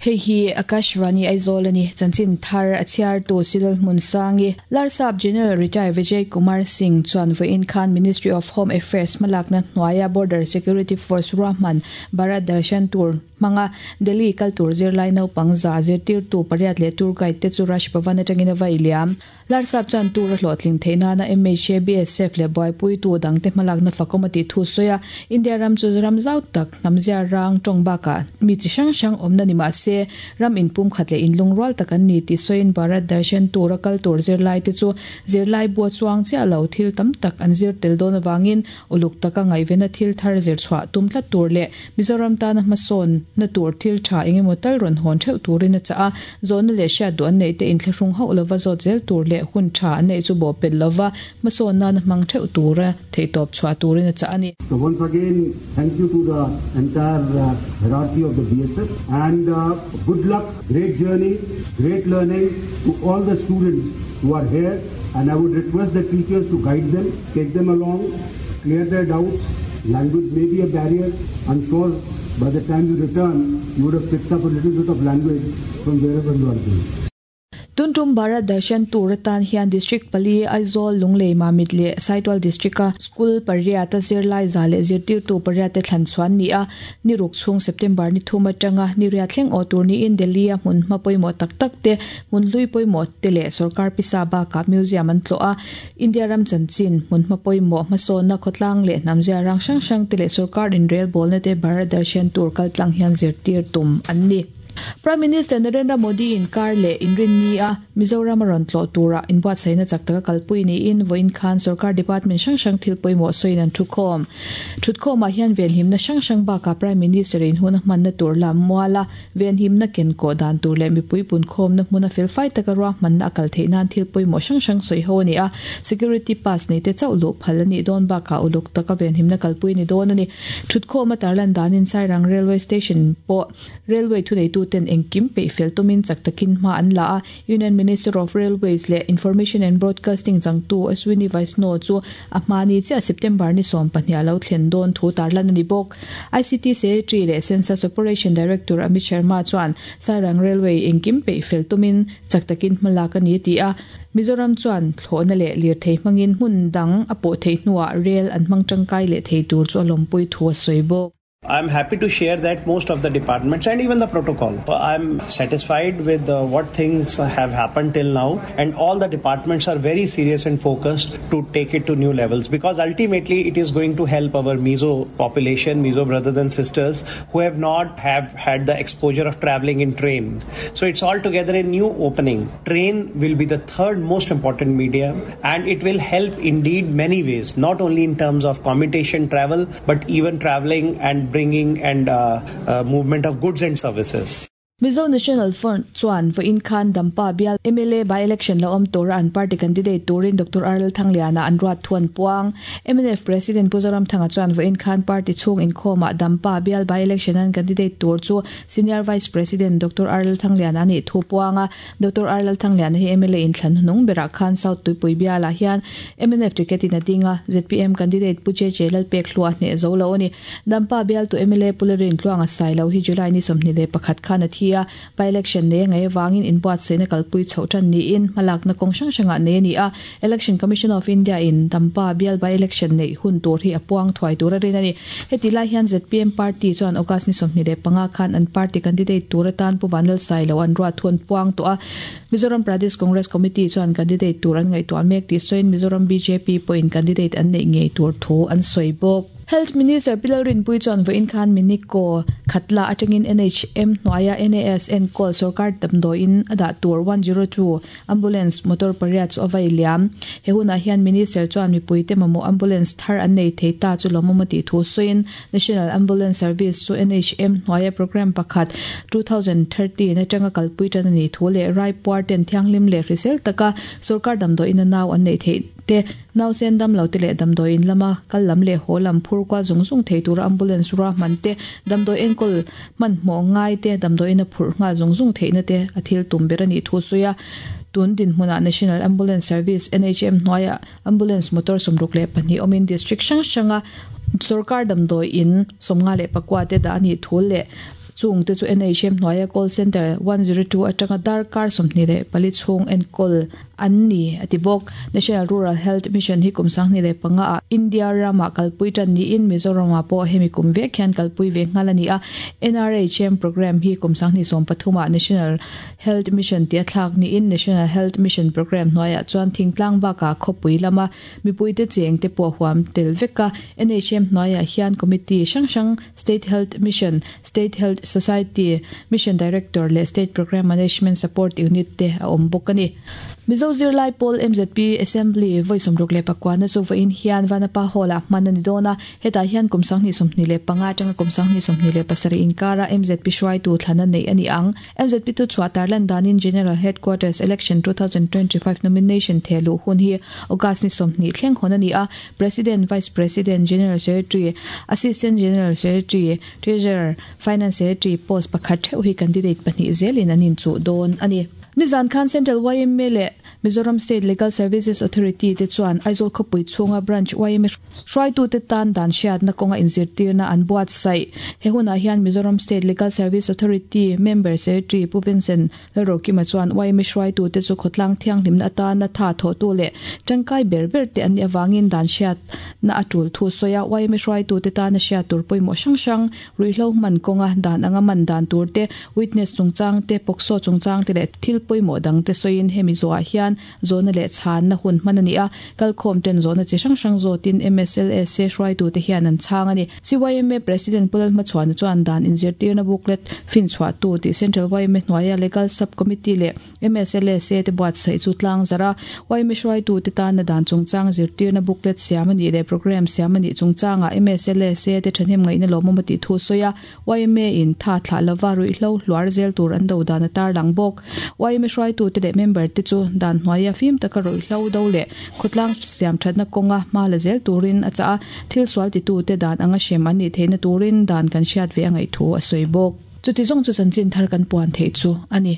Hei hi Akashvani Aizawl a ni. Chanchin thar a chhiartu Silal Hmunsangi, Larsap General Retired Vijay Kumar Singh chuan vawiin khan Ministry of Home Affairs hmalakna hnuaia Border Security Force ruahman Bharat Darshan Tour hmanga Delhi kal tur zirlai naupang za zirtirtu pariat leh tour guide te chu Raj Bhavan atangin a vai liam. Larsap chuan tur a hlawhtling theih nana mha, BSF leh buaipuitu dangte hmalakna fakawm a tih thu sawi a, India ram chu ram zau tak, hnamzia rang tawng bakah mi chi hrang hrang awmna ni mah se, ram inpumkhat leh inlungrual tak an ni tih sawiin Bharat Darshan tura kal tur zirlaite chu zirlai bua chuang chiah lo thil tam tak an zir tel dawn avangin Uluk taka ngaihvena thil thar zir chhuah tum tlat tur leh Mizoram tana hmasawn na tur thil tha eng emaw tal rawn hawn theuh turin a chah a, zawhna leh hriat duh an neih te inthlahrung hauh lova zawt zel tur leh hun tha an neih chu bawhpelh lova hmasawn nana hmang theuh tura theihtawp chhuah turin a chah a ni. So once again thank you to the entire hierarchy of the BSF and good luck, great journey, great learning to all the students who are here and I would request the teachers to guide them, take them along, clear their doubts, language may be a barrier, I'm sure by the time you return you would have picked up a little bit of language from wherever you are going. Tuntum Bharat Darshan Tour atan hian District pali, Aizawl, Lunglei, Mamit leh Saitual District-a School pariat a zirlai za leh zirtirtu pariat te thlan chhuan ni a, ni ruk chhung September ni thum atanga ni riat thleng awh tur niin Delhi-a hmun hma pawimawh tak tak te, hmun hlui pawimawh te leh sorkar pisa bakah museum an tlawh a. India ram chanchin, hmun hma pawimawh hmasawnna khawtlang leh hnam zia rang hrang hrang te leh sorkar inrelbawlna te Bharat Darshan Tour kaltlang hian zirtir tum an ni. Prime Minister Narendra Modi in kar leh inrinni a Mizoram a rawn tlawh turah inbuatsaihna chak taka kalpui niin vawiin khan sorkar department hrang hrang thil pawimawh sawiin an thukhawm. Thutkhawmah hian venhimna hrang hrang bakah Prime Minister in hun a hmanna tur lam muala Venhimna kenkawh dan tur leh mipui punkhawmna hmuna felfai taka ruahmanna a kal theih nan thil pawimawh hrang hrang sawi ho a ni a, security pass neite chauh luh phal a nih dawn bakah uluk taka venhimna kalpui a ni dawn a ni. Thutkhawma tarlan danin Sairang Railway Station pawh Railway thuneituten engkim peih fel tumin chak takin hma an la a, Union Minister of Railways leh Information and Broadcasting changtu Ashwini Vaishnaw chu a hma ni chiah September ni 12 a lo thlen dawn thu tarlan a ni bawk. ICT Secretary leh Census Operation Director Amit Sharma chuan Sairang Railway engkim peih fel tumin chak takin hma lak a ni a ti a, Mizoram chuan thlawhna leh lirthei hmangin hmun dang a pawh theih hnuah rel an hmang tangkai leh thei tur chu a lawmpui thu a sawi bawk. I am happy to share that most of the departments and even the protocol. I am satisfied with uh, what things have happened till now and all the departments are very serious and focused to take it to new levels because ultimately it is going to help our Mizo population, Mizo brothers and sisters who have not have had the exposure of traveling in train. So it's altogether a new opening. Train will be the third most important medium and it will help indeed many ways, not only in terms of commutation travel, but even traveling and bringing and uh, uh, movement of goods and services. Mizo National Front chuan vawiin khan Dampa bial mla by-election la awm tura an party candidate turin Doctor R Lalthangliana an ruat thu an puang. Mnf President Pu Zoramthanga chuan vawiin khan party chhung inkhawmah Dampa bial by-election an candidate tur chu Senior Vice President Doctor R Lalthangliana a nih thu puang a. Doctor R Lalthangliana hi mla inthlan hnung berah khan South Tuipui bialah hian mnf ticket in a ding a, zpm candidate Pu JJ Lalpekhlua a hneh zo lo a ni. Dampa bialtu mla Pu Lalrin Tluanga Sailo hi July ni 21 khan a thi a, by-election nei a ngaih avangin inbuatsaihna kalpui chhoh tan niin hmalakna kawng hrang hrangah nei a ni a. Election Commission of India in Dampa bial by-election neih hun tur hi a puang thuai tur a rin a ni. Heti lai hian zpm party chuan August ni 25 khan an party candidate tur atan Pu Vanlal Sailo an ruat thu an puang tawh a. Mizoram Pradesh Congress Committee chuan candidate tur an ngaihtuah mek tih sawiin Mizoram bjp pawhin candidate an neih ngei tur thu an sawi bawk. Health Minister Pi Lalrinpuii chuan vawiin khan Miniko Khatla atangin NHM hnuaia NAS enkawl sorkar damdawiin a dah tur 102 ambulance motor pariat chu a vai liam. He hunah hian Minister chuan mipuite mamawh ambulance thar an nei thei ta chu lawmawm a tih thu sawiin National Ambulance Service chu NHM hnuaia programme pakhat 2013 atanga kalpui tan a nih thu leh Raipuar ten thianghlim leh hrisel taka sorkar damdawiin a nau an neih theih te, nausen damlo te leh damdawi in lama kal lam leh haw lam phur kual zung zung thei tura ambulance ruahman te, damdawi enkawl hmanhmawh ngai te, damdawi ina phurh nghal zung zung theihna te a thil tum ber a nih thu sawi a. Tun dinhmunah National Ambulance Service, NHM, hnuaiah ambulance motor 62 awmin district hrang hranga sorkar damdawi in 54 te dah a nih thu leh. Chung te chu NHM hnuaia call centre 102 atanga darkar 24 chhung enkawl an ni a ti bawk. National Rural Health Mission hi kum 2005 ah India ramah kalpui tan niin Mizoramah pawh hemi kum vek hian kalpui ve nghal a ni a. NRHM programme hi kum 2013 ah National Health Mission tia thlak niin National Health Mission programme hnuaiah chuan thingtlang bakah khawpui lama mipuite cheng te pawh huam tel vek a. NHM hnuaiah hian committee hrang hrang State Health Mission, State Health Society, Mission Director leh State Programme Management Support Unit te a awm bawk a ni. Mizo Zirlai Pawl MZP Assembly vawi 64 na chu vawiin hian Vanapa Hall-ah hman a ni dawn a, hetah hian kum 2025 atanga kum 2027 inkara MZP hruaitu thlana neih a ni ang. MZP tu chhuah tarlan danin General Headquarters Election 2025 nomination thehluh hun hi August ni 20 thleng hawn a ni a, President, Vice President, General Secretary, Assistant General Secretary, Treasurer, Finance Secretary post pakhat theuh hi candidate pahnih zelin an inchuh dawn a ni. Nizan khan Central yma leh Mizoram State Legal Services Authority te chuan Aizawl khawpui chhunga Branch yma hruaitute tan dan hriatna kawnga inzirtirna an buatsaih. He hunah hian Mizoram State Legal Service Authority Member Secretary Pu Vincent Lalrokima chuan yma hruaitute chu khawtlang thianghlimna atana tha thawhtu leh tangkai ber ber te an nih avangin dan hriatna a tul thu sawi a. Yma hruaitute tana hriat tur pawimawh hrang hrang, ruihhlo hman kawnga dan anga man dan tur te, witness chungchang te, POCSO chungchang te leh thil pawimawh dang te sawiin hemi zawhah hian zawhna leh chhanna hun hman a ni a. Kalkhawm ten zawhna chi hrang hrang zawtin MSLSA hruaitute hian an chhang a ni. CYMA President Pu Lalhmachhuana chuan dan inzirtirna booklet finchhuahtu tih Central yma hnuaia Legal Sub Committee leh MSLSA te buatsaih chu tlang zarh a, yma hruaitute tana dan chungchang zirtirna booklet siam a nih leh programme siam a nih chungchangah MSLSA te thahnem ngaihna lawmawm a tih thu sawi a, yma in tha thlah lova ruihhlo hluar zel tur an do dan a tarlang bawk. Yma hruaitute leh member te chu dan hnuaia fim taka ruihhlo do leh khawtlang siam thatna kawnga hma la zel turin a chah a, thil sual titute dan anga hrem an nih theihna turin dan kan hriat ve a ngaih thu a sawi bawk. Chuti zawng chu chanchin thar kan puan theih chu a ni.